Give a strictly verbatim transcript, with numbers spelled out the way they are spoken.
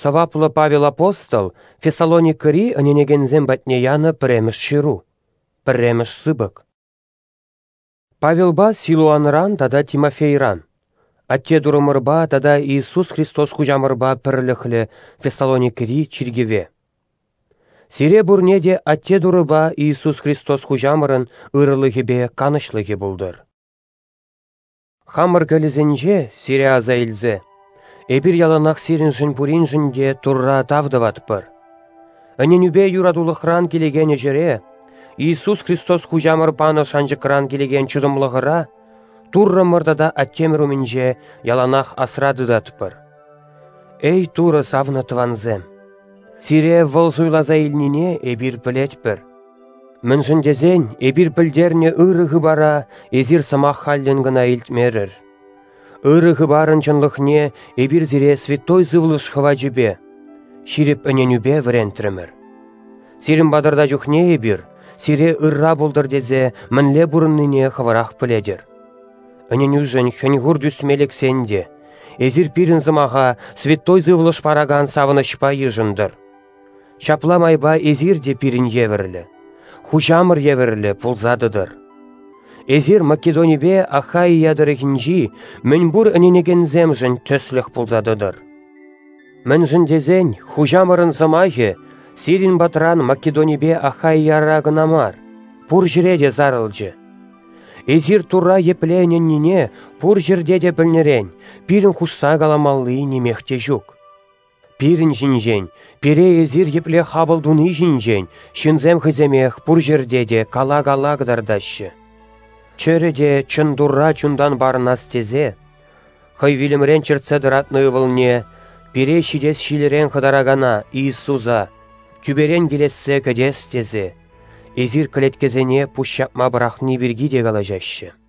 Сӑваплӑ Павел апостол Фессалоникӑри ӗненекенсем патне янӑ пӗрремӗш ҫыру, пӗрремӗш сыпӑк. Павелпа Силуанран тата Тимофейран, Атте Туррӑмӑрпа тата Иисус Христос Хуҫамӑрпа пӗрлӗхлӗ Фессалоникӑри чиркӗве. Сире пурне те Атте Турӑпа Иисус Христос Хуҫамӑрӑн ырӑлӑхӗпе канӑҫлӑхӗ пултӑр. Хамӑр кӗлӗсенче сире аса илсе, эпир яланах сирӗншӗн пуриншӗн те Турра тав тӑватпӑр. Ӗненӳпе юратулӑхран килекен ӗҫӗре, Иисус Христос Хуҫамӑр панӑ шанчӑкран килекен чӑтӑмлӑхӑра Туррӑмӑр тата Аттемӗр умӗнче яланах асра тытатпӑр. Эй, Турӑ савнӑ тӑвансем! Сире вӑл суйласа илнине эпир пӗлетпӗр. Мӗншӗн тесен эпир пӗлтернӗ ырӑ хыпара эсир сӑмах халлӗн кӑна илтмерӗр. Ырӑ хыпарӑн чӑнлӑхне эпир сире Святой Сывлӑш хӑвачӗпе, ҫирӗп ӗненӳпе вӗрентрӗмӗр. Сирӗн патӑрта чухне эпир сире ырра пултӑр тесе мӗнле пурӑннине хӑвӑрах пӗлетӗр. Ӗненӳшӗн хӗн-хур тӳсме лексен те, эсир пирӗн сӑмаха Святой Сывлӑш паракан савӑнӑҫпа йышӑнтӑр. Ҫапла майпа эсир те пирӗн евӗрлӗ, Хуҫамӑр евӗрлӗ пулса тӑтӑр. Эсир Македонипе Ахаия тӑрӑхӗнчи мӗнпур ӗненекенсемшӗн тӗслӗх пулса тӑтӑр. Мӗншӗн тесен Хуҫамӑрӑн сӑмахӗ сирӗн патран Македонипе Ахаияра кӑна мар, пур ҫӗре те сарӑлчӗ. Эсир Турра епле ӗненнине пур ҫӗрте те пӗлнӗрен пирӗн хушса каламалли нимех те ҫук. Пирӗн ҫинчен, пире эсир епле хапӑл туни ҫинчен ҫынсем хӑйсемех пур ҫӗрте те кала-кала кӑтартаҫҫӗ. Чӗрӗ те чӑн Турра чунтан парӑнас тесе, хӑй вилӗмрен чӗртсе тӑратнӑ ывӑлне, пире ҫитес ҫилӗрен хӑтаракана Иисуса, тӳперен килессе кӗтес тесе, эсир кӗлеткесене пуҫ ҫапма пӑрахни пирки те калаҫаҫҫӗ.